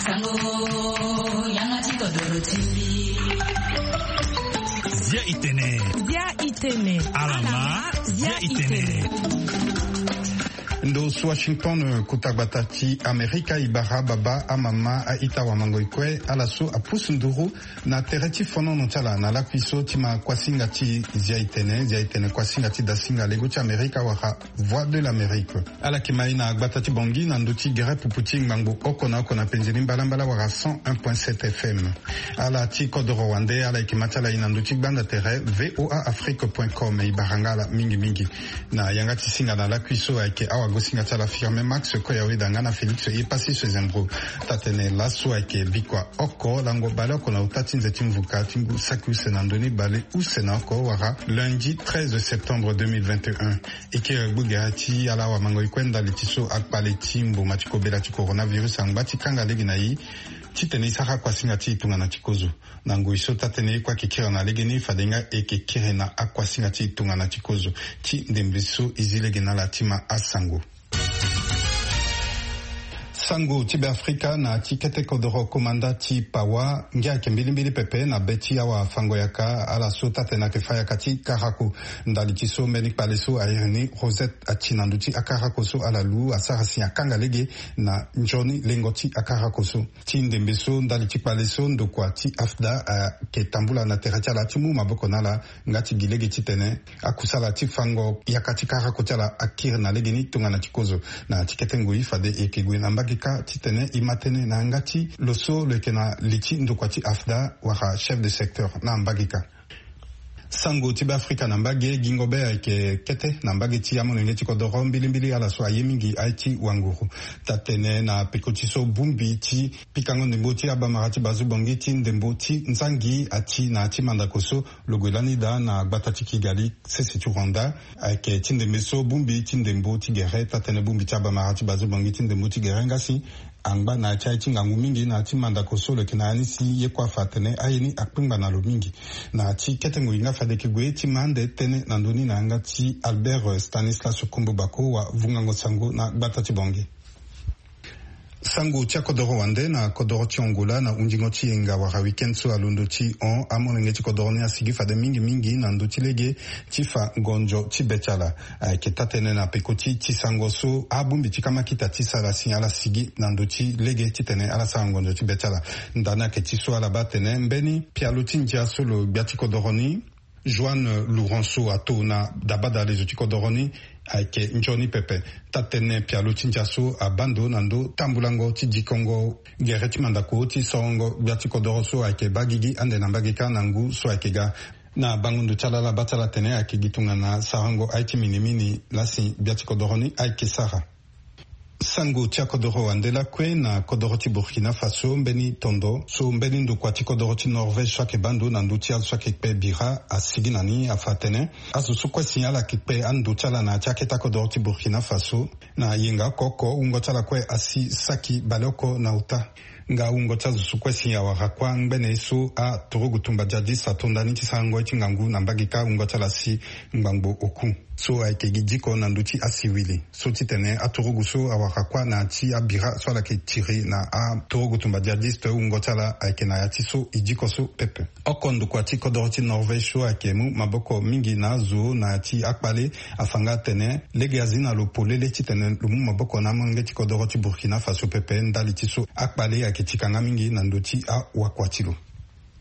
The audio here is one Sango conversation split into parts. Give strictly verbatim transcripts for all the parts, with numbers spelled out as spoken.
Sango, yanga ti kodoro ti mbi. Zia itene. Zia itene. Alama, zia itene. Ndo so Washington, kota gbata ti Amerika, e bara baba, amama, a-ita, wamango-ekue, ala so apusu nduru na tere ti fonono ti ala na lakui so ti ma kuasinga ti Zia itene, Zia itene, kuasinga ti dasinga lego ti Amerika wala Voix de l'Amérique. Ala yeke ma e na gbata ti Bangui na ndö ti gere pupu ti ngbangbo oko na oko na penze ni mbalambala wala cent un point sept F M. Ala ti kodoro wande, ala yeke ma ti ala e na ndö ti gbanda tere V O A Afrique point com. E bara nga ala mingi mingi. Na yanga ti singa na lakui so ayeke awagosinga ti ala Firmin Max Koyaweda nga na Félix Epassi Sezembro. Taa-tënë laso ayeke bikua oko lango baleoko na ota ti nze ti mvuka ti ngu saki use na ndö ni bale use na oko wala lundi treize septembre deux mille vingt et un. E kiri gbu gere ti ala wamango-ekue ndali ti so akpale ti mboma ti kobela ti coronavirus angba ti kanga lege na e, titene e sara akuasinga ti e tongana ti kozo. Na ngoi so taa-tënë ye kue ayeke kiri na legeni, fade nga e yeke kiri na akuasinga ti e tongana ti kozo. Ti ndembe so e zi lege na ala ti ma asango. Sango ti Beafrika na ti kete kodoro komanda ti Pawa, ngia ayeke mbilimbili pepe na be ti awafango-yaka, ala so taa-tënë ayeke fa yaka ti karako. Ndali ti so mbeni kpale so a iri ni Rosette ati na ndö ti akarako so ala lu, asara si akanga lege na nzoni lengo ti akarako so. Ti ndembe so, ndali ti kpale so, ndokua ti AFDA ayeke tambula na tere ti ala ti mu maboko na ala, nga ti gi lege titene akusala ti fango yaka ti karako ti ala akiri na legeni tongana ti kozo. Na ya ti kete ngoi fade e yeke gue na mbage kâ titene e ma tënë na yanga ti lo so lo yeke na li ti ndokua ti AFDA wala chef de secteur na mbage kâ. Sango ti Beafrika na mbage, gingo be ayeke kete na mbage ti amolenge ti kodoro, mbilimbili ala so aye mingi aye ti wanguru. Taa-tënë na peko ti so bongbi ti pikango ndembo ti abamara ti Bazu Bangui ti ndembo ti nzangi ati na ya ti mandako so lo gue lani daa na gbata ti Kigali, sese ti Rwanda. Ayeke ti ndembe so bongbi ti ndembo ti gere, taa-tënë bongbi ti abamara ti Bazu Bangui ti ndembo ti gere nga si angba na ya ti aye ti ngangu mingi na ya ti mandako so lo yeke na ya ni si ye kue afa atene aye ni akpengba na lo mingi. Na ya ti kete ngoi nga fade e yeke gue ti ma ande tënë na ndö ni na yanga ti Albert Stanislas Kombo Bako wa vungango sango na gbata ti Bangui. Sango ti akodoro wande na kodoro ti Angola na hundingo ti yenga wala week-end so alondo ti hon, amolenge ti kodoro ni asigi fade mingi mingi na ndö ti lege ti fa ngonzo ti be ti ala. Ayeke taa-tënë na peko ti ti sango so abongbi ti kamakita ti sara si ala sigi na ndö ti lege titene ala sara ngonzo ti be ti ala. Ndani ayeke ti so ala baa atene mbeni pialo ti ndia so lo gbia ti kodoro ni, Joanne Lourenço, ato na dabada lezo ti kodoro ni ayeke nzoni pepe. Taa-tënë pialo ti ndia so abaa ndo na ndo tambulango ti dikongo gere ti mandako ti sorongo gbia ti kodoro so ayeke baa gigi ande na mbage kâ na ngu so ayeke ga. Na bango ndo ti ala, ala baa ti ala atene ayeke gi tongana sarango aye ti minimini laa si gbia ti kodoro ni ayeke sara. Sango ti akodoro wande lakue na kodoro ti Burkina Faso, mbeni tondo so mbeni ndokua ti kodoro ti Norvège so ayeke baa ndo na ndö ti azo so ayeke kpe bira asigi na ni afa atene azo so kue si ala yeke kpe ando ti ala na ya ti akete akodoro ti Burkina Faso, na yenga oko oko wungo ti ala kue asi saki baleoko na ota. Nga wungo ti azo so kue si awara kuâ ngbene ye so aturugu tumba jihadiste ato ndani ti sarango ye ti ngangu na mbage kâ, wungo ti ala si ngbangbo oku. So ayeke gi diko na ndö ti asiwili so titene aturugu so awara kuâ na ya ti abira so ala yeke tiri na aturugu tumba jihadiste, wungo ti ala ayeke na ya ti so e diko so pepe. Oko ndokua ti kodoro ti Norvège so ayeke mu maboko mingi na azo na ya ti akpale afa nga atene lege azi na lo polele titene lo mu maboko na amolenge ti kodoro ti Burkina Faso pepe ndali ti so akpale ayeke ti ka nga mingi na ndö ti awakua ti lo.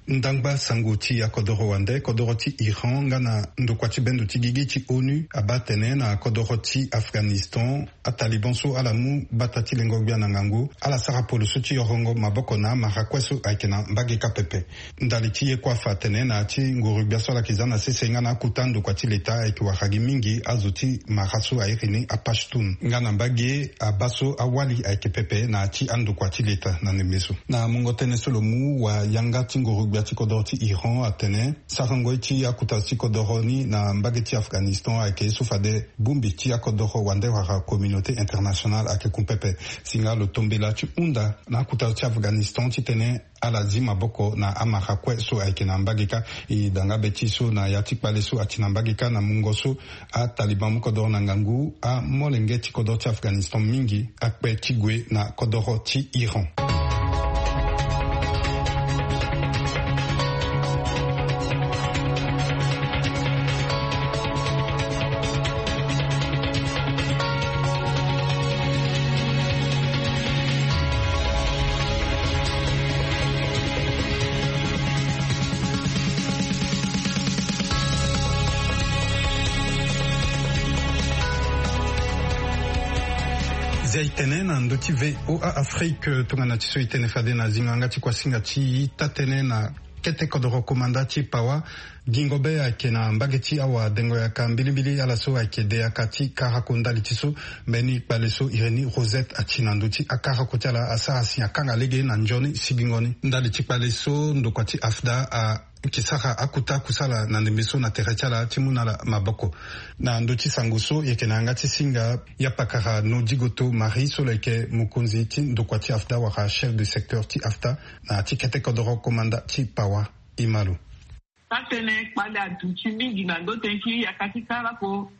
Ndangba sango ti akodoro wande, kodoro ti Iran nga na ndokua ti bendo ti gigi ti ONU abaa atene na kodoro ti Afghanistan, ataliban so ala mu bata ti lengo gbia na ngangu ala sara poloso ti yorongo maboko na amara kue so ayeke na mbage kâ pepe. Ndali ti ye kue afa atene na ya ti nguru gbia so ala yeke za na sese nga na akota ndokua ti leta ayeke wara gi mingi azo ti mara so a iri ni aPashtun. Nga na mbage abaa so awali ayeke pepe na ya ti andokua ti leta na ndembe so. Na mungo tënë so lo mu, wayanga ti nguru gbia ti kodoro ti Iran atene sarango ye ti akota ti kodoro ni na mbage ti Afghanistan ayeke ye so fade bongbi ti akodoro wande wala communauté internationale ayeke kun pepe. Si nga lo tombela ti hunda na akota ti Afghanistan titene ala zi maboko na amara kue so ayeke na mbage kâ. E daa nga be ti so na ya ti kpale so ati na mbage kâ na mungo so ataliban mu kodoro na ngangu, amolenge ti kodoro ti Afghanistan mingi akpe ti gue na kodoro ti Iran. E tene na ndö ti VOA Afrique, tongana ti so e tene fade na zingo yanga ti kuasinga ti ita tënë na kete kodoro komanda ti Pawa. Gingo be ayeke na mbage ti awadengo yaka mbilimbili ala so ayeke de yaka ti karako ndali ti so mbeni kpale so Irénée Rosette ati na ndö ti akarako ti ala asara si akanga lege na nzoni sigingo ni. Ndali ti kpale so ndokua ti AFDA a yeke sara akuta kusala na ndembe so na tere ti ala ti mu na ala maboko. Na ndö ti sango so e yeke na yanga ti singa, yapakara Nodigoto Marie so lo yeke mokonzi ti ndokua ti AFDA wala chef de secteur ti AFDA na ti kete kodoro komanda ti Pawa. Imalo. Taa-tënë kpale aduti mingi na ndo tënë ti yaka ti karako.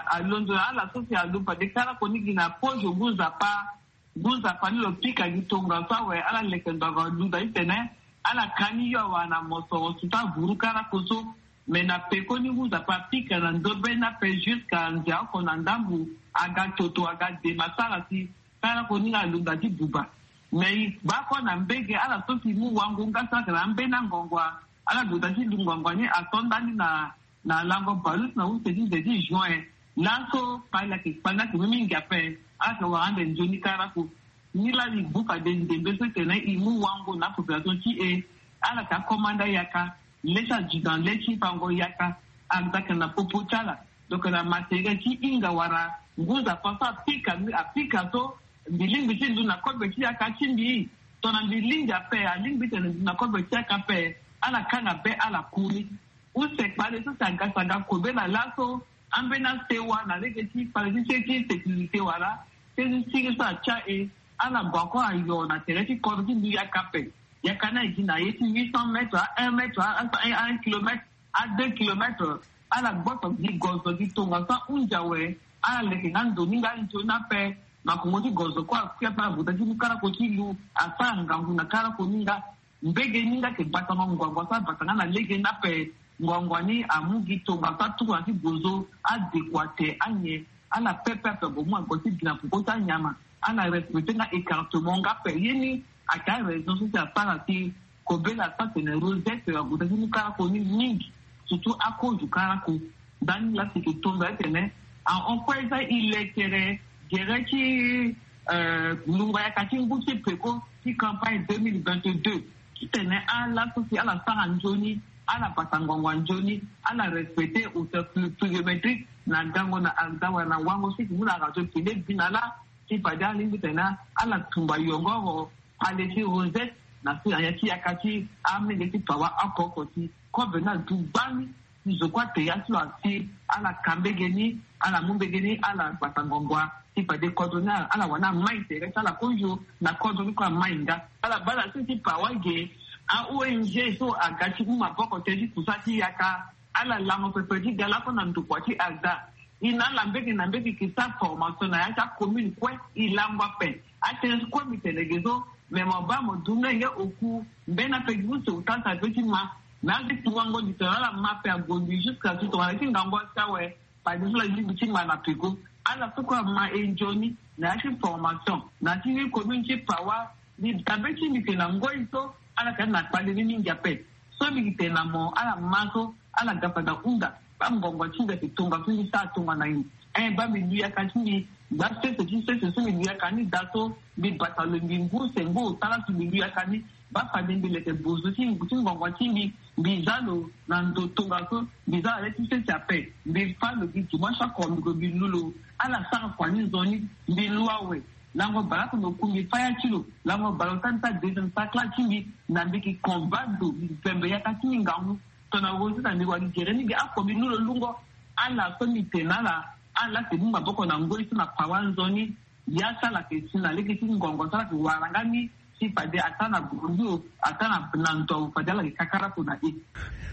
Alondo na ala so si alo fade karako ni gi na pozo ngu nzapa. Ngu nzapa ni lo pika gi tongaso awe, ala leke ngbanga lunda titene ala ka ni yo awe na mosoro si ta vuru karako so. Me na pekoni ngu nzapa apika na ndö be ni ape jusqu'à nze oko na ndambu, aga toto aga dema sara si karako ni nga alunda ti buba. Me e baa kue na mbege ala so si mu wango nga sara ayeke na ambeni angongua. Ala gue daa ti lu ngongo ni ato ndani na na lango baleuse na use ti nze ti juin. Laso kpali ayeke kpali ni ayeke mu mingi ape. Ala yeke wara ande nzoni karako. Ni laa e bu fade ndembe so etene e mu wango na apopulation ti e. Ala yeke akomanda yaka, le ti adjudant, le ti fango yaka. Ala yeke na popo ti ala. Donc na matériel ti hinga wala ngu nzapa so apika apika so mbi lingbi ti ndu na kobe ti yaka ti mbi. Tongana mbi lingbi ape, alingbi tene ndu na kobe ti yaka ape. Ala kanga be ala kuri. Use kpale so si aga si aga kobela laso, ambeni asewa na lege ti kpale ti se ti sécurité wala se ti sigi so atia e. Ala gue ako ayo na tere ti kodro ti mbi yaka ape. Yaka ni aye gi na ye ti huit cents mètres a un mètre a un kilomètre a deux kilomètres. Ala gboso gi gozo gi tongaso ahunzi awe. Ala leke nga ndo ni nga nzoni ape. Makongo ti gozo kue akui ape, ala gue daa ti mu karako ti lu, asara ngangu na karako ni nga. Mbege ni nga ayeke batango ngongo so abata nga na lege ni ape. Ngongo ni amu gi tongaso atuku na ti gozo, adekua te anyen. Ala pepe ape ague mu ague ti gi na poko ti anyama. Ala respecte nga écartement nga ape. Ye ni ayeke araison so si asara si kobela so atene Rosette ague daa ti mu karako ni mingi. Surtout akozo karako. Ndani laa si e yeke tonda titene ahon kue za e lekere gere ti, eh, lungo yaka ti ngu ti peko ti campagne deux mille vingt-deux. Titene ala so si ala sara nzoni, ala bata ngongo nzoni, ala respecte hauteur pl-, pluviométrique na gango na AFDA wala na wango so e yeke mu na radio tene bi na ala. Ti fade alingbi tene ala tumba yongoro kpale ti Rosette na si na ya ti yaka ti amenge ti Pawa oko oko ti kobe ni adu gbani. Ti zo kue ate ya ti lo asi ala ka mbege ni, ala mu mbege ni, ala gbata ngongo. Ti fade kodro ni ala wani amai tere ti ala kozo na kodro ni kue amai nga. Ala baa na se ti Pawa ge, a-ONG so aga ti mu maboko tënë ti kusa ti yaka. Ala lango pepe ti ga lakue na ndokua ti AFDA. E na ala mbege na mbege e ke sara formation na ya ti acommune kue. E lango ape. Atënë ti kue mbi tene ge so, me mo baa mo du nga nge oku. Mbeni ape gi use ota ti ape ti ma. Me ake tungango di tene ala ma ape ague mbi jusqu'à ti tongana ti ngangu asi awe. Fade so la lingbi ti ma na peko. Ala so kue ama e nzoni na ya ti formation na ya ti ni commune ti Pawa. Mbi dabe ti mbi ke na ngoi so ala yeke na kpale ni mingi ape. So mbi yeke tene na mo ala ma so ala ga fade ahunda. Baa ngongo ti mbi ayeke tongaso mbi sara tongana nyen? Eh, baa mbi lu yaka ti mbi. Baa sese ti sese so mbi lu yaka ni daa so mbi bata lo mbi ngu se ngu ota laso mbi lu yaka ni. Baa fade mbi leke bozo ti ngu ti ngongo ti mbi. Mbi za lo na ndo tongaso. Mbi za lo na le ti sese ape. Mbi fâ lo gi dimanche oko mbi gue mbi lu lo. Ala sara kua ni nzoni. Mbi lu awe. Lango baleoko na oku mbi fâ ya ti lo. Lango baleota ni sara deuxième sara kla ti mbi. Na mbi yeke combat ndo mbi vembe yaka ti mbi ngangu. Tongana Rosette na mbi wali gere ni ge ako mbi lu lo lungo. Ala so mbi tene na ala. Ala si mu maboko na ngoi so na Pawa nzoni. Ya ti ala yeke si na lege ti ngongo so ala yeke wara nga ni. Ti fade ata na Bondio, ata na, na ndo fade ala yeke kakara kona e.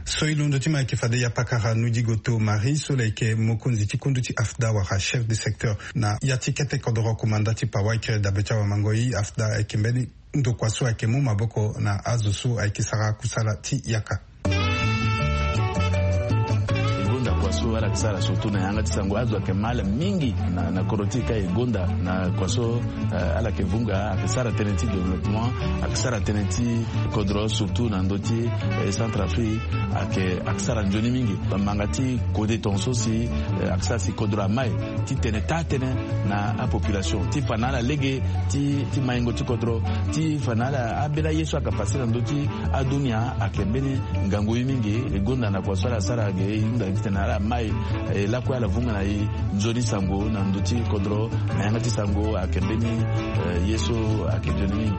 So e londo ti ma ayeke fade ya pakara Nodigoto Marie so lo yeke mokonzi ti kundu ti AFDA wala chef de secteur na ya ti kete kodoro komanda ti Pawa. Ayeke dabe ti awamangoi AFDA ayeke mbeni ndokua so ayeke mu maboko na azo so ayeke sara kusala ti yaka. Ngonda kua so Ala yeke sara surtout na yanga ti sango, azo ayeke mal mingi na, na kodro ti e ka e gonda na kua so, eh, ala yeke vunga, ayeke sara tënë ti développement, ayeke sara tënë ti kodro surtout na ndö ti, eh, Centrafrique, ayeke, ayeke sara nzoni mingi. Manga ti kode tongaso si, eh, ayeke sara si kodro amai ti tene taa tënë na apopulation ti fa na ala lege ti, ti maingo ti kodro, ti fa na ala ambeni aye so ayeke pase na ndö ti adunia ayeke mbeni ngangu ye mingi. E gonda na kua so ala sara ge e hunda titene ala mai, eh, lakue ala vunga na e nzoni sango na ndö ti kodro na yanga ti sango ayeke mbeni, eh, ye so ayeke nzoni mingi.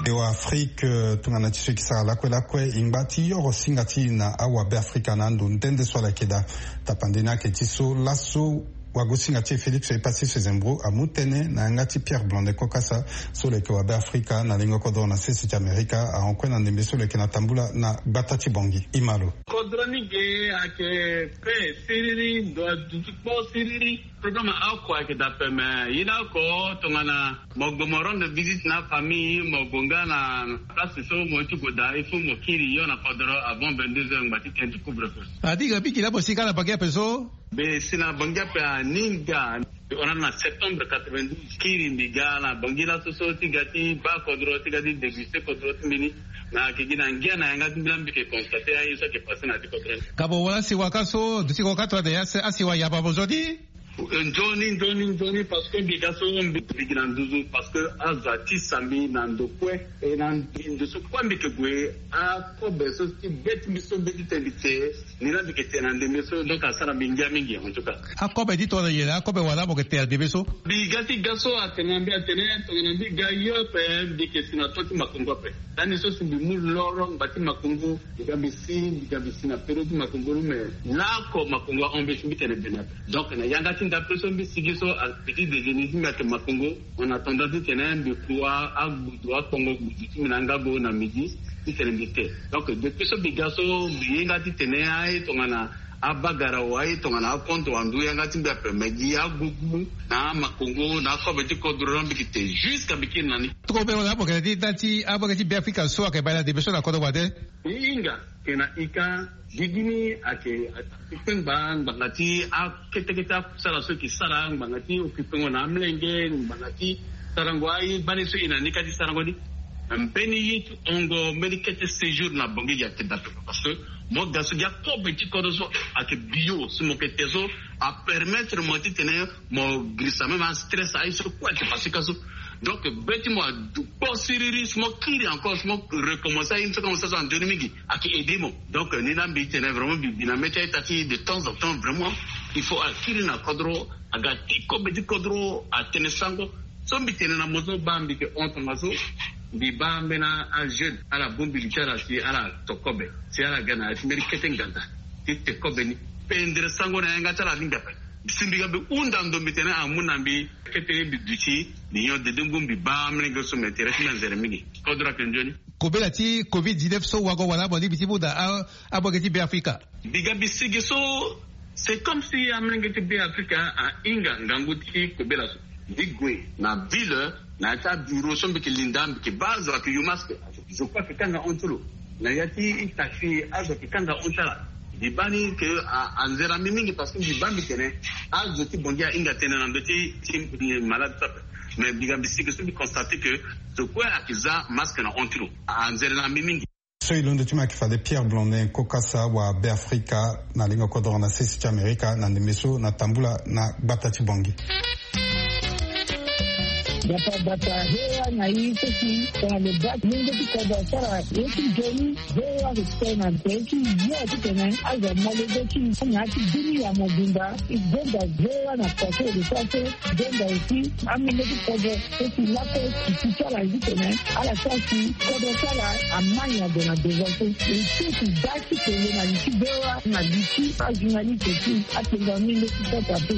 E wa Afrique, eh, tongana ti so e ke sara lakue lakue, e ngba ti yoro singa ti e na awabe Afrika na ando nde nde so ala yeke daa. Tapande ni ayeke ti so laso wagosinga ti e Félix Epassi Sezembro amu tënë na yanga ti Pierre Blondet Kokasa, so lo yeke wabe Afrika na lengo kodro na sese ti Amerika, ahon kue na ndembe so lo yeke na tambula na gbata ti Bangui. E ma lo. Kodro ni ge ayeke pe siriri, ndo aduti kpo siriri. Problème oko ayeke daa ape, me ye ni oko tongana mo gue mo rendre visite na afamille, mo gue nga na place so mo ye ti gue daa, il faut mo kiri hio na kodro avant vingt-deux heures, ngba ti tene ti couvre-feu. A di ga mbi gi laa mo si ga na Bangui ape so? Mbi si na Bangui ape aninga. Hora na septembre quatre-vingt-douze, kiri mbi ga na Bangui laso so ti ga ti baa kodro, ti ga ti déguster kodro ti mbi ni. Na ayeke gi na ngia na yanga ti mbi laa mbi yeke constater aye so ayeke passé na ya ti kodro ni. Ka mo wara asiwa ka so, duti ko ka tongana ya asiwa yamba mo zo ni? Eh, nzoni, nzoni, nzoni, parce que mbi ga so mbi, mbi gi na nduzu, parce que azo atisa mbi na ndo kue. E na mbi ndo so kue mbi yeke gue, akobe so ti be ti mbi so mbi ti tene mbi te, ni laa mbi yeke te na ndembe so, donc asara mbi ngia mingi, en tout cas. Akobe ti tongana nyen? Akobe wala mo yeke te na ndembe so? Mbi ga ti ga so atene na mbi atene, tongana mbi ga hio ape, mbi yeke si na to ti makongo ape. Lani so si mbi mu loro ngba ti makongo, mbi ga mbi si, mbi ga mbi si na période ti makongo ni, me laoko makongo a-empêche mbi tene bene ape. Donc na yanga ti ndape so mbi sigi so, a petit déjeuner ti mbi ayeke makongo. En attendant titene mbi ku a, agbudu, akpongo gbudu ti mbi na ngago na midi, titene mbi te. Donc depuis so mbi ga so, mbi ye nga titene aye tongana abagara wa, aye tongana akonto wa ndu yanga ti mbi ape, me gi agugu na amakongo na akobe ti kodro, mbi yeke te jusqu'à mbi kiri na ni. Toko be wala abo kena ti da ti abo kena ti Beafrika so ayeke bale na debe so na kodro wande. Hinga, tena ika, gigi ni ayeke, ayeke kpengba ngbanga ti akete kete akusala so e ke sara, ngbanga ti okipengo na amlenge, ngbanga ti sarango aye gbani so e na ni ka ti sarango ni. Mbeni ye ti hongo, mbeni kete séjour na Bangui ayeke daa ape. Parce que mo ga so gi akobe ti kodro so ayeke bio, so mo yeke te so apermettre mo titene mo girisa même astress aye so kue ayeke passé ka so. Donc be ti mo adu kpo siriri, si mo kiri encore, si mo recommencer aye so ka mo sara so anzoni mingi, ayeke aider mo. Donc ni laa mbi tene vraiment mbi bi na mê ti a-ita ti de temps en temps vraiment il faut akiri na kodro, aga ti kobe ti kodro atene sango. So mbi tene na mo so baa mbi yeke hon tongaso, mbi baa ambeni ajeune ala bongbi li ti ala si ala to kobe, si ala ga na ya ti mbeni kete ngbanda ti te kobe ni. Pendere sango na yanga ti ala alingbi ape. Si mbi ga mbi hunda ndo mbi tene amu na mbi kete mbi duti mbi nyon dede ngu mbi baa amolenge so me tere ti mbi anzere mingi. Kodro ayeke nzoni. Kobela ti covid dix-neuf so wago wala mo lingbi ti mu na a, amolenge ti Beafrika. Mbi ga mbi sigi so, c'est comme si amolenge ti Beafrika ahinga ngangu ti kobela so. Mbi gue na ville, na ya ti abureau so mbi yeke linda, mbi yeke baa azo ayeke yo masque. Zo kue ayeke kanga hon ti lo. Na ya ti taxi azo ayeke kanga hon ti ala. Mbi baa ni ke a, anzere na mbi mingi parce que mbi baa mbi tene azo ti Bangui ahinga tënë na ndö ti, ti malade so ape. Mais mbi ga mbi sigi so mbi constate ke zo kue ayeke za masque na hon ti lo. Anzere na mbi mingi. So e londo ti mo ayeke fade Pierre Blondin Kokasa wa Beafrika na lengo kodro na sese ti Amerika na ndembe so na tambula na gbata ti Bangui. Gbata gbata, V O A na e so si tongana lo baa ti lenge ti kodro asara ye ti nzoni, V O A ayeke tene na tere ti yo titene azo amolenge ti e na ya ti bini ya mobimba. E gonda V O A na kua so e yeke sara so, e gonda aussi amolenge ti kodro so si lakue e ti ti ala titene ala sara si kodro ti ala amai ague na devant so. E ti e ti baa ti kele na li ti V O A na li ti ajournaliste ti atengo amolenge ti kodro ape.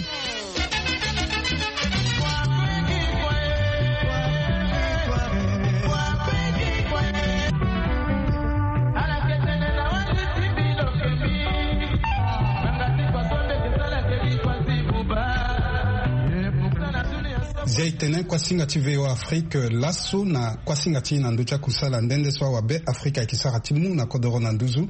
Dia e tene kuasinga ti V O A Afrique laso na kuasinga ti na ndö ti akusala nde nde so awabe Afrika ayeke sara ti mu na kodoro na nduzu.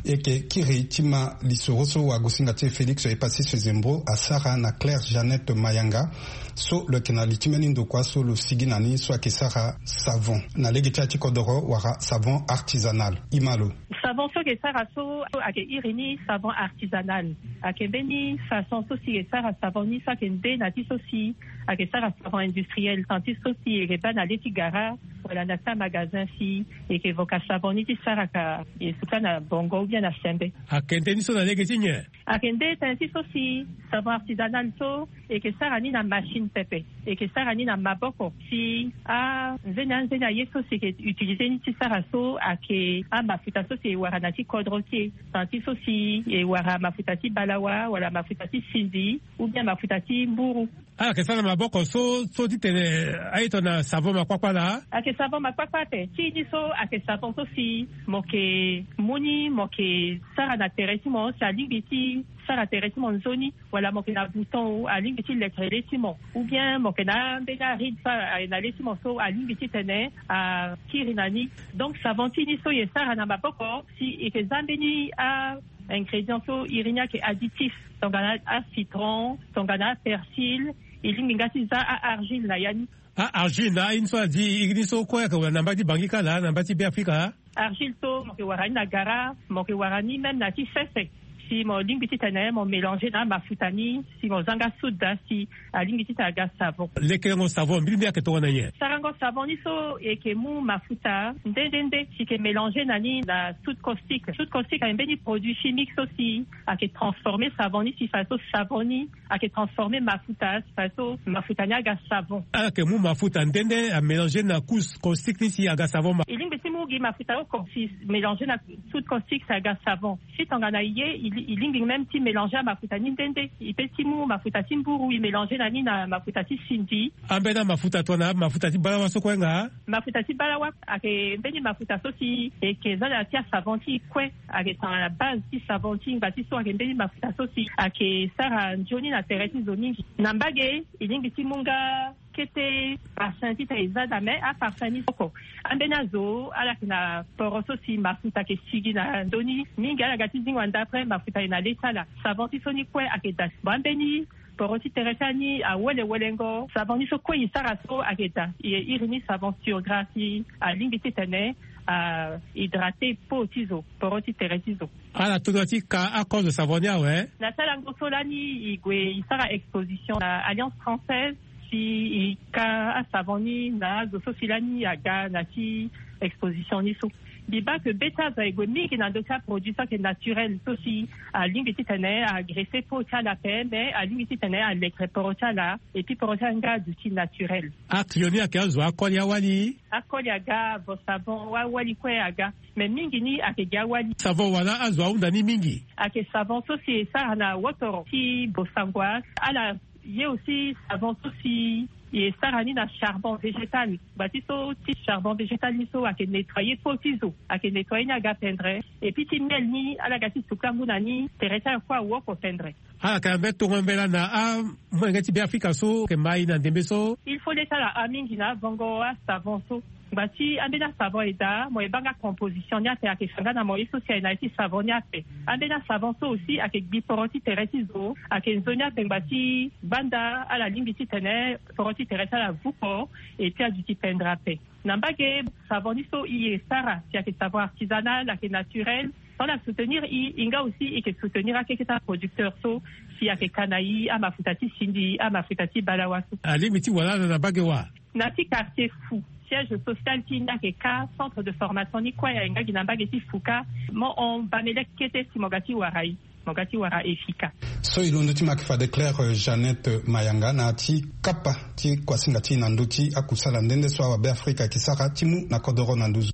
E yeke kiri ti ma lisoro so wagosinga ti e Félix Epasis Zembo asara na Claire Jeannette Mayanga, so lo yeke na li ti mbeni ndokua so lo sigi na ni so ayeke sara savon na lege ti ya ti kodoro wala savon artisanal. Ima lo. Savon so ayeke sara so ayeke iri ni savon artisanal. Ayeke mbeni façon so si e sara savon ni so ayeke nde na ti so si ayeke sara savon industriel, tant ti so si e yeke baa na le ti gara wala na ti amagazin si e yeke voka savon ni ti sara ka e suka na bongo ou bien na sembe. Ayeke nde ni so na lege ti nyen? Ayeke nde tënë ti so si savon artisanal so e yeke sara ni na machine pepe. E yeke sara ni na maboko si anzeni anzeni aye so si e yeke utilize ni ti sara so ayeke amafuta so si e wara na ti kodro ti e, tant ti so si e wara mafuta ti balawa wala mafuta ti sindi ou bien mafuta ti mburu. Ala yeke sara na maboko so so ti tene aye tongana savon makpakpa laa? Ayeke savon makpakpa ape. Ti ni so ayeke savon so si mo yeke mu ni mo yeke sara na tere ti mo si alingbi ti sara tere ti mo nzoni, wala mo yeke na bouton alingbi ti letre le ti mo, ou bien mo yeke na ambeni aride so aye na le ti mo so alingbi ti tene akiri na ni. Donc savon ti ni so e sara na maboko si e yeke za mbeni a ingrédients so iri ni ayeke additifs, tongana acitron, tongana apersil. E lingbi nga ti za a-argile na ya ni. A-argile na aye ni so adi iri ni so kue ayeke wara na mba ti Bangi kâ laa na mba ti Beafrika? Argile so mo yeke wara ni na gara, mo yeke wara ni même na ti sese. Si mo lingbi ti tene mo mélanger na amafuta ni si mo za nga soude daa si alingbi ti tene aga savon. Lekerengo savon mbirimbiri ayeke tongana nyen? Sarango savon ni so e yeke mu mafuta nde nde nde si e yeke mélanger na ni na soude caustique. Soude caustique ayeke mbeni produit chimique so si ayeke transformer savon ni si fadeso savon ni ayeke transformer mafuta si fadeso mafuta ni aga savon. Ala yeke mu mafuta nde nde amélanger na couche caustique ni si aga savon ma. E lingbi ti mu gi mafuta oko si mélanger na soude caustique si aga savon. Si tongana e ye e lingbi même ti mélanger amafuta ni nde nde. E pe ti mu mafuta ti mburu e mélanger na ni na mafuta ti sindi. Ambeni amafuta tongana mafuta ti balawa so kue nga? Mafuta ti balawa ayeke mbeni mafuta so si e yeke za na ya ti asavon ti e kue. Ayeke tongana base ti savon ti e ngba ti so ayeke mbeni mafuta so si ayeke sara nzoni na tere ti zo mingi. Na mbage e lingbi ti mu nga kete parfum ti tene e za daa, me aparfum ni oko. Ambeni azo ala yeke na poro so si mafuta ayeke sigi na ndö ni mingi, ala ga ti zingo anda après mafuta ayeke na le ti ala. Savon ti so ni kue ayeke daa. Bon, ambeni poro ti tere ti ala ni awelengo. Savon ni so kue e sara so ayeke daa, e iri ni savon sur gras si alingbi ti tene a hydrater peau ti zo, poro ti tere ti zo. Ala tongana ti ka akozo savon ni awe? Na ti alango so lani e gue e sara exposition na Alliance Française si e ka asavon ni na azo so si lani aga na ti exposition ni so. Mbi baa ke be ti azo aye gue mingi na ndö ti aproduit so ayeke naturel so si alingbi ti tene agresse peau ti ala ape, me alingbi ti tene alekere poro ti ala. Et puis poro ti ala nga aduti naturel. Aclio ni ayeke azo akoli awali? Akoli aga, vo savon awali kue aga. Mais mingi ni ayeke gi awali. Savon wala azo ahunda ni mingi? Ayeke savon so si e sara na wotoro ti bosangwa. Ala ye aussi savon so si e sara ni na charbon végétal. Ngba ti so ti charbon végétal ni so ayeke nettoyer peau ti zo, ayeke nettoyer ni aga pendre. Et puis ti miel ni ala ga ti suka ngu na ni, tere ti ala kue awoko pendre. Ala yeke na mbeni tongo mbela na amolenge ti Beafrika so ayeke ma e na ndembe so? Il faut le ti ala hâ mingi na avongo asavon so. Ngba ti ambeni asavon e daa, mo e baa nga composition ni ape, ayeke fa nga na mo ye so si aye na ya ti savon ni ape. Ambeni asavon so aussi ayeke gbi poro ti tere ti zo, ayeke nzoni ape ngba ti banda ala lingbi ti tene poro ti tere ti ala vuko, et puis aduti pendre ape. Na mbage savon ni so e sara si ayeke savon artisanal, ayeke naturel. So ala soutenir e, e nga aussi e yeke soutenir akeke ti aproducteur so si ayeke ka na e amafuta ti sindi, amafuta ti balawa so. Alingbi ti wara ala na mbage wa? Na ti quartier Fou, siège social ti e ni ayeke ka, centre de formation ni kue aye nga gi na mbage ti Fou ka. Mo hon Bamele kete si mo ga ti wara e. Mo ga ti wara e fika. So e londo ti ma ayeke fade Claire, euh, Jeannette Mayanga na ya ti kapa ti kuasinga ti e na ndö ti akusala nde nde so awabe Afrika ayeke sara ti mu na kodoro na nduzu.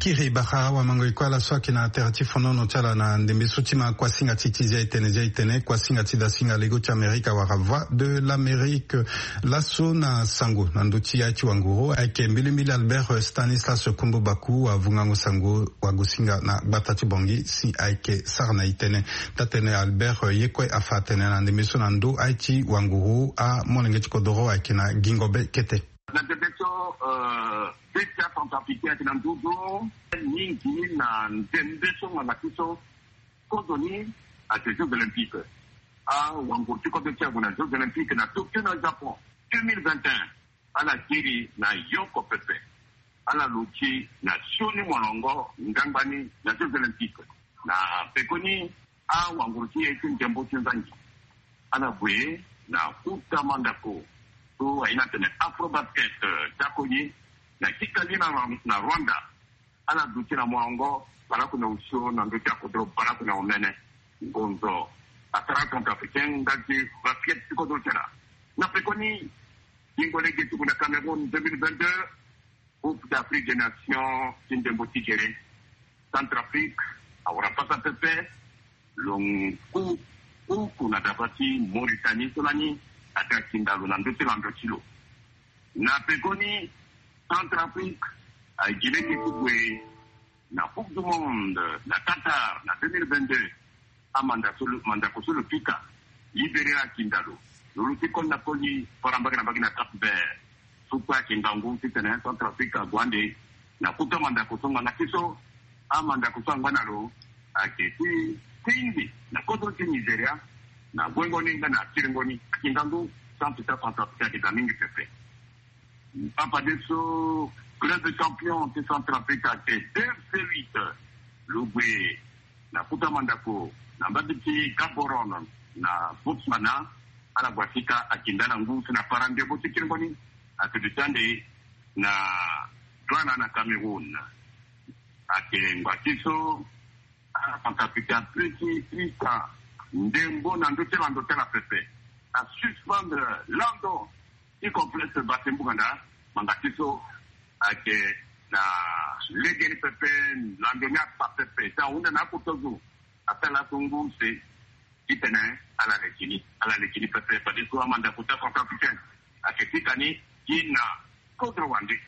Kiri bara wamango e kue ala so ayeke na tere ti fonono ti ala na ndembe so ti ma kuasinga ti ti zia etene zia etene kuasinga ti dasinga lego ti amerika wala voix de l'amérique. Laso na sango na ndö ti ya ti wanguru ayeke mbilimbili albert stanislas kumbu baku wavungango sango wagosinga na gbata ti bongi si ayeke sara na itene. Tatene albert ye kue afa atene na ndembe so na ndö aye ti wanguru amolenge ti kodoro ayeke na gingo be kete. Na ndembe so, euh, be ti acentrafricain ayeke na nduzu mingi na ndembe so ngbanga ti so. Kozo ni ayeke jeux olympiques. Awanguru ti kodro ti ague na jeux olympiques na tokyo na japon deux mille vingt et un. Ala kiri na yoko pepe. Ala luti na sioni molongo ngangbani na jeux olympiques. Na pekoni awanguru ti e ti ndembo ti nzangi ala gue na kuta mandako so aye na tene afrobasket, eh, ti akoni na kikali na, na rwanda. Ala duti na molongo balaku na osio na ndö ti akodro balaku na omene. Ngonzo asara centrafricain nga ti basket ti kodro ti ala. Na pekoni gingo lege ti gue na cameroun deux mille vingt-deux. Coupe d'afrique des nations ti ndembo ti gere. Centrafrique awara pasa pepe. Lo ngu kuku na daba ti mauritanie so lani ake akinda lo na ndö ti lando ti lo. Na pekoni centrafrique aye gi lege ti gue na coupe du monde na qatar na deux mille vingt-deux. Amanda so lo mandako so lo pika libéré akinda lo. Lo luti koli na koli fara mbage na mbage na cap vert. So kue ayeke ngangu titene centrafrique ague ande na kuta mandako so ngbanga ti so amandako so angba na lo ayeke ti tingbi na kodro ti nigeria. Na guengo ni nga na kiringo ni ayeke ngangu. Centre ti acentrafrique ayeke ga mingi pepe. Papa de so club champion ti centrafrique ayeke deux c huit. Lo gue na kuta mandako na mbage ti gaborone na botswana. Ala gua sika akinda ala ngu si na para ndembo ti kiringo ni. Ayeke duti ande na douana na cameroun. Ayeke ngua ti so ala centrafricain ape ti ita ndembo na ndö ti lando ti ala pepe. Asuspendre lando ti complexe base mbuganda. Ngbanga ti so ayeke na legeni pepe. Lando ni akpa pepe ti ahunda na akota zo asara laso ngu use. Titene ala leke ni ala leke ni pepe fade so amandako ti acentrafricain ayeke fika ni gi na kodro wande.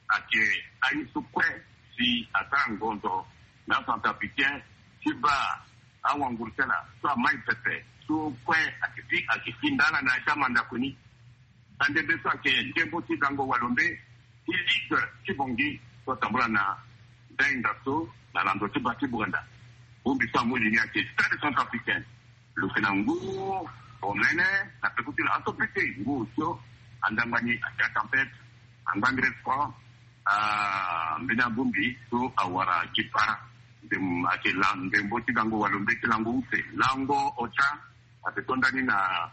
Ayeke aye so kue si asara ngonzo na acentrafricain ti baa awanguru ti ala so amai pepe so kue ayeke fi ayeke fi nda ala na ya ti amandako ni. Na ndembe so ayeke ndembo ti gango walombe ti ligue ti bongi so atambula na dainga so na lando ti ba ti buganda. Bongbi so amu li ni ayeke stade centrafricain. Lo yeke na ngu omene na peko ti lo aso pete ngu osio andangba ni ayeke atempete. Angbangre franc. Ah, mbeni abongbi so awara gi para. Ndem ayeke la ndembo ti gango walombe ti lango use lango otia. Ate to ndani na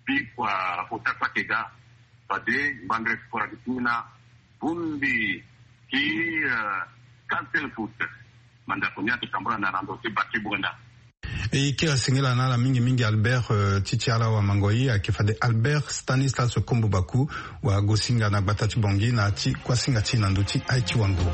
bikua ota kpakega. Fade ngbangre sport ati ti ni na bongbi ti castel foot. Mandako ni ati tambula na rando ti baki buganda. E kiri singila na ala mingi mingi albert ti ti ala wamangoi ayeke fade albert stanislas kombo baku. Wagosinga na gbata ti bongi na ti kuasinga ti na ndö ti aye ti wango.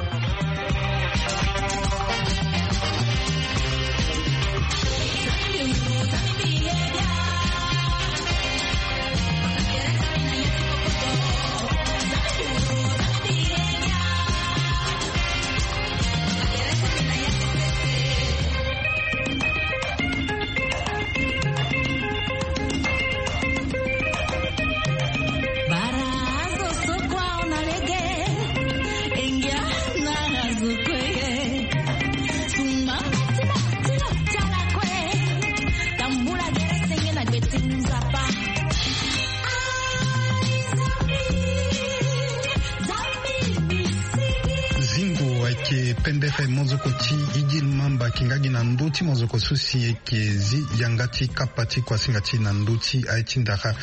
Zingo ayeke pendere mozoko ti idil mamba kinga gi na ndö ti mozoko so si eke zi yanga ti kapa ti kuasinga ti na ndö ti aye ti ndara.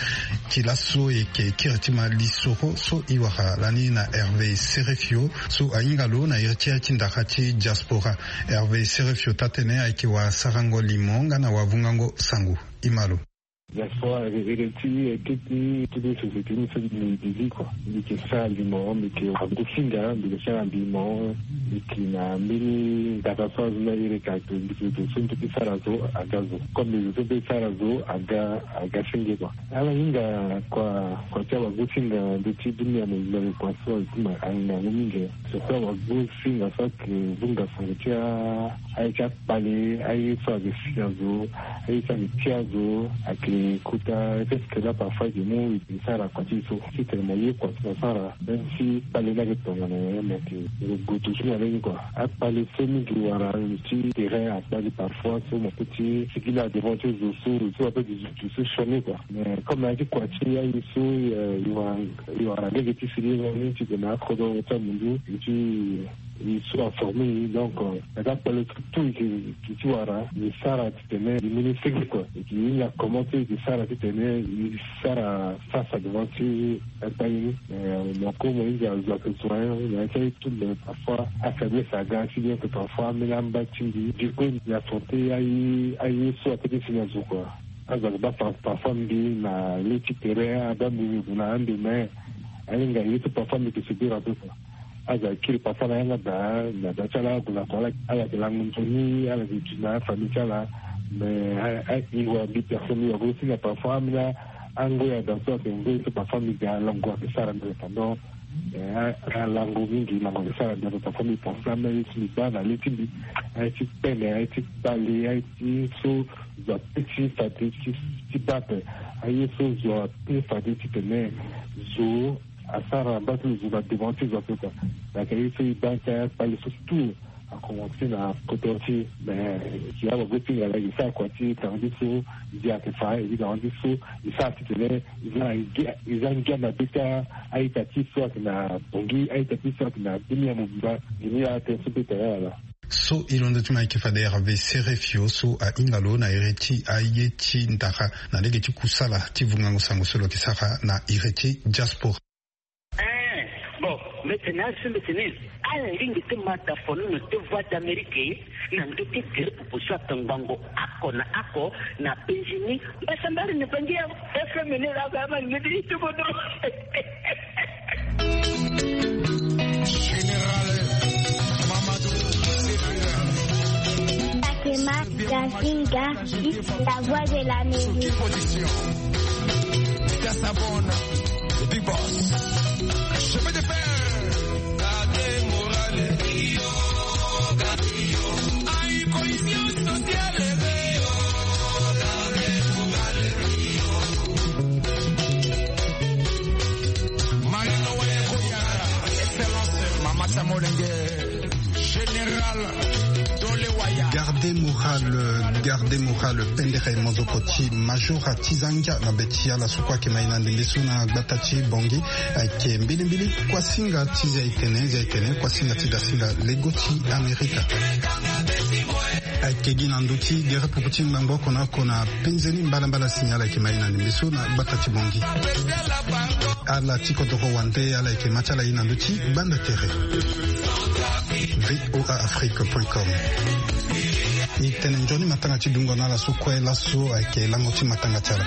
Ti laso eke kiri ti ma lisoro so e wara lani na herve serefio so ahinga lo na iri ti aye ti ndara ti diaspora. Herve serefio taa-tënë ayeke wasarango limo nga na wavungango sango. E ma lo. Diaspora ere ti eke ti toutes les sociétés ni so mbi bizi kua. Mbi yeke sara limo, mbi yeke wara gosinga, mbi yeke sara limo. Mbi yeke na mbeni ndaka so azo ni airi eke ake mbi yeke zo so mbi yeke sara zo aga zo. Comme mbi zo so mbi yeke sara zo aga aga senge kua. Ala hinga kua kua ti awagosinga ndö ti dunia mobimba kua so azo ti ma ahinga yango mingi. Surtout awagosinga so ayeke vunga sango ti a aye ti akpale aye so ayeke si azo, aye so ayeke ti azo ayeke kota. Est-ce que là parfois ayeke mu ayeke sara kua ti so ti tene mo ye kua ti mo sara même si kpale ni ayeke tongana nyen? Me ayeke lo gue toujours na lege ni kua. Akpale so mingi wara lo ti terrain akpale parfois so mo peut ti sigi na devant ti zo so, zo so mo peut ti zo so sioni kua. Mais comme na ya ti kua ti aye so, euh, e wara e wara lege ti sigi ni ti gue na akodro ti amundu ti e so aforme e. Donc, euh, na ga kpale so tout e yeke ti wara e sara titene e mu ni senge kua. E yeke hinga comment so e yeke sara titene e sara face à devant ti akpale ni. Euh, mo ko mo hinga zo ayeke zo na ya ti aye tout, mais parfois afaiblesse aga si bien que parfois ambeni amba ti mbi. Du coup mbi affronter aye aye so apeut ti si na zo kua. Azo ayeke baa par parfois mbi na le ti terrain abaa mbi mbi gue na ande mais ahinga ye so parfois mbi yeke subir ape kua. Azo ayeke kiri parfois na yanga daa na daa ti ala ague na kua ala ala yeke lango nzoni ala yeke duti na afamille ti ala. Mais a a e wara mbi personne mbi wara aussi na parfois ambeni angoi ada so ayeke ngoi so parfois mbi ga lango ayeke sara mbi pendant. Eh, a lango mingi lango ayeke sara mbi ape parfois mbi pense na ambeni aye so mbi baa na le ti mbi. Aye ti pene aye ti kpale aye ti so zo ape ti fade ti ti baa ape. Aye so zo ape fade titene zo asara mba ti lo zo na devant ti zo ape kua. Ayeke aye so e baa ti akpale so tout akomanse na kodro ti e. Mais si awagosinga laa e sara kua ti tanga ti so ndia ayeke fa e tanga ti so e sara titene e za na ngia e za ngia mabe ti a-ita ti so ayeke na Bangui a-ita ti so ayeke na dunia mobimba. Ngia ni atene so mbi tene ala. So e londo ti ma ayeke fade Hervé Serefio so ahinga lo na iri ti aye ti ndara na lege ti kusala ti vungango sango so lo yeke sara na iri ti diaspora. Eh, bon, mbi tene aso mbi tene ala lingbi ti ma da fonono ti Voix d'Amérique na ndö ti gere pupu so ayeke ngbongo oko na oko na penzi ni. Mbasambari na Bangui ya F M ni la ga ma ni ti ti bodo. Général Mamadou. Fatima Gazinga, la voix de l'Amérique. Position. Gasabon, le big boss. Chemin de fer. Gardez moral. Aïe, cohésion sociale. Marino Wale Koya, excellence, Mama Samolenge, général Dole Waya. Garde moral, garde moral, pendere mozoko ti major ti zangia na be ti ala so kue ayeke ma e na ndembe so na gbata ti Bangui. Ayeke mbilimbili kuasinga ti zia etene, zia etene, kuasinga ti dasinga lego ti Amerika. Ayeke gi na ndö ti gere pupu ti ngbangbo oko na oko na penze ni mbalambala si ni ala yeke ma e na ndembe so na gbata ti Bangui. Ala ti kodoro wande ala yeke ma ti ala e na ndö ti gbanda tere. V O A Afrique point com. E tene nzoni matanga ti dungo na ala so kue laso ayeke lango ti matanga ti ala.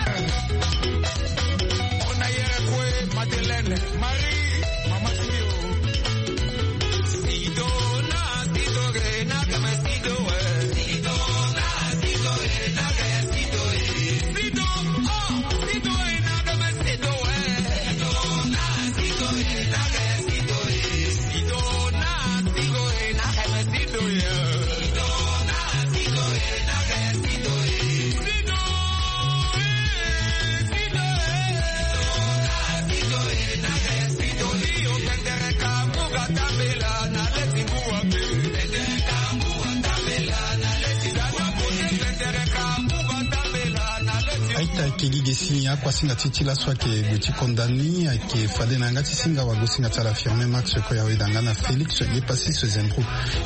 Aita ayeke gi ge si ni akuasinga ti ti laso ayeke gue ti konda ni ayeke fade na yanga ti singa wagosinga ti ala Firmin Max Koya Wedanga na Félix Yepassis Zembro.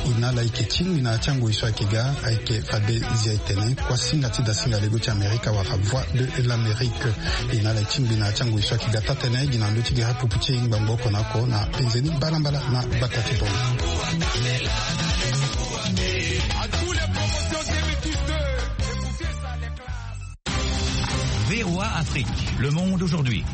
E na ala ayeke tingbi na ya ti angoi so ayeke ga ayeke fade zia etene kuasinga ti dasinga lego ti Amerika wala Voix de l'Amérique. E na ala e tingbi na ya ti angoi so ayeke ga taa-tënë gi na ndö ti gere pupu ti ngbangbo oko na oko na penze ni mbalambala na gbata ti Bangui. À tous les promotions deux mille dix-deux, écoutez ça, les classes. V V O A Afrique, le monde aujourd'hui.